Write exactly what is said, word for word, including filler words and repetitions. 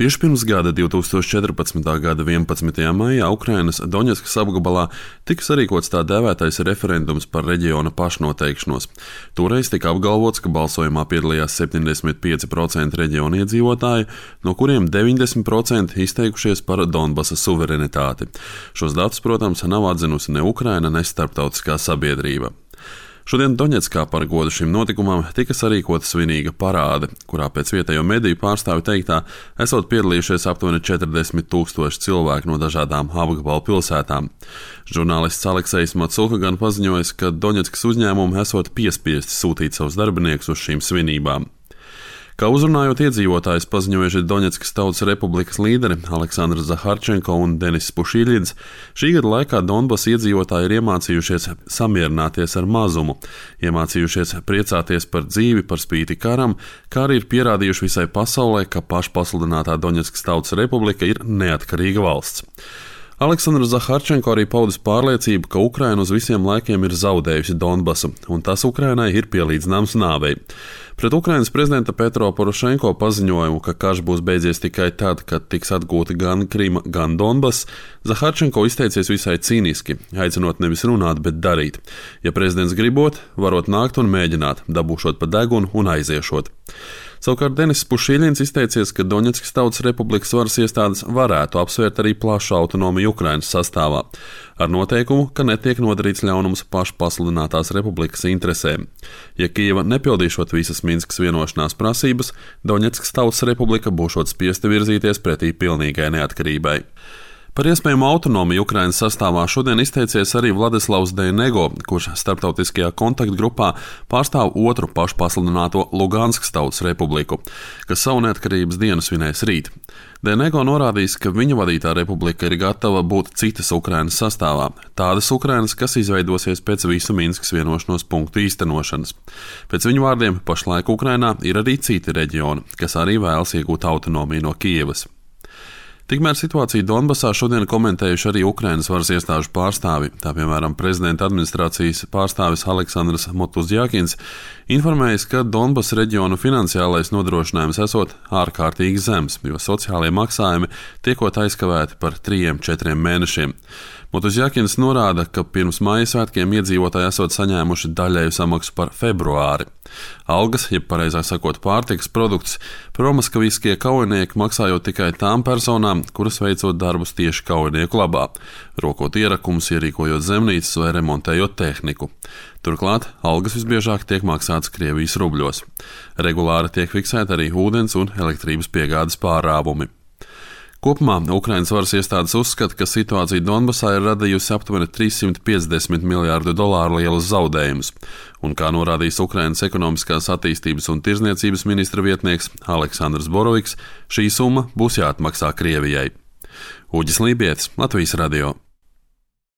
Tieši pirms gada, divs tūkstoši četrpadsmitā gada vienpadsmitajā maijā, Ukrainas Doņetskas apgabalā tika sarīkots tā dēvētais referendums par reģiona pašnoteikšanos. Toreiz tika apgalvots, ka balsojumā piedalījās septiņdesmit pieci procenti reģiona iedzīvotāju, no kuriem deviņdesmit procenti izteikušies par Donbasa suverenitāti. Šos datus, protams, nav atzinusi ne Ukraina, ne starptautiskā sabiedrība. Šodien Doņetskā par godu šim notikumam tika sarīkota svinīga parāde, kurā pēc vietējo mediju pārstāvju teiktā esot piedalījušies aptuveni četrdesmit tūkstoši cilvēku no dažādām apgabalu pilsētām. Žurnālists Aleksejs Matsulka gan paziņojis, ka Doņetskas uzņēmumi esot piespiesti sūtīt savus darbiniekus uz šīm svinībām. Kā uzrunājot iedzīvotājus paziņojuši Doņetskas Tautas Republikas līderi Aleksandrs Zaharčenko un Denis Pušiļins, šī gada laikā Donbasa iedzīvotāji ir iemācījušies samierināties ar mazumu, iemācījušies priecāties par dzīvi par spīti karam, kā arī ir pierādījuši visai pasaulē, ka pašpasludinātā Doņetskas Tautas Republika ir neatkarīga valsts. Aleksandrs Zaharčenko arī paudis pārliecību, ka Ukraina uz visiem laikiem ir zaudējusi Donbasu, un tas Ukrainai ir pielīdzināms nāvei. Pret Ukrainas prezidenta Petro Porošenko paziņojumu, ka karš būs beidzies tikai tad, kad tiks atgūta gan Krima, gan Donbass, Zaharčenko izteicies visai cīniski, aicinot nevis runāt, bet darīt. Ja prezidents gribot, varot nākt un mēģināt, dabūšot pa degunu un aiziešot. Savukārt Denis Pušiļins izteicies, ka Doņetskas Tautas Republikas varas iestādes varētu apsvērt arī plašu autonomiju Ukrainas sastāvā, ar noteikumu, ka netiek nodarīts ļaunums pašpasludinātās republikas interesēm. Ja Kijeva nepildīšot visas Minskas vienošanās prasības, Doņetskas Tautas Republika būšot spiesta virzīties pretī pilnīgai neatkarībai. Par iespējamu autonomiju Ukrainas sastāvā šodien izteicies arī Vladislavs Dejnego, kurš starptautiskajā kontaktgrupā pārstāv otru pašpasludināto Luganskas Tautas Republiku, kas savu neatkarības dienu svinēs rīt. Dejnego norādījis, ka viņa vadītā republika ir gatava būt citas Ukrainas sastāvā, tādas Ukrainas, kas izveidosies pēc visu Minskas vienošanos punktu īstenošanas. Pēc viņu vārdiem pašlaik Ukrainā ir arī citi reģioni, kas arī vēlas iegūt autonomiju no Kijevas. Tikmēr situāciju Donbasā šodien komentējuši arī Ukrainas varas iestāžu pārstāvi, tā piemēram prezidenta administrācijas pārstāvis Aleksandrs Motuzjakins informējis, ka Donbasa reģionu finansiālais nodrošinājums esot ārkārtīgi zems, jo sociālie maksājumi tiekot aizkavēti par trījiem četriem mēnešiem. Motuzjakins norāda, ka pirms Maija svētkiem iedzīvotāji esot saņēmuši daļēju samaksu par februāri. Algas, jeb pareizāk sakot pārtikas produktus, promaskaviskie kaujinieki maksājot tikai tām personām, kuras veicot darbus tieši kaujinieku labā, rokot ierakumus, ierīkojot zemnīcas vai remontējot tehniku. Turklāt algas visbiežāk tiek maksātas Krievijas rubļos. Regulāri tiek fiksēti arī ūdens un elektrības piegādes pārāvumi. Kopumā Ukrainas varas iestādes uzskata, ka situācija Donbasā ir radījusi aptuveni trīssimt piecdesmit miljārdu dolāru lielus zaudējumus, un kā norādījis Ukrainas ekonomiskās attīstības un tirzniecības ministra vietnieks Aleksandrs Boroviks, šī summa būs jāatmaksā Krievijai. Uģis Lībietis, Latvijas radio.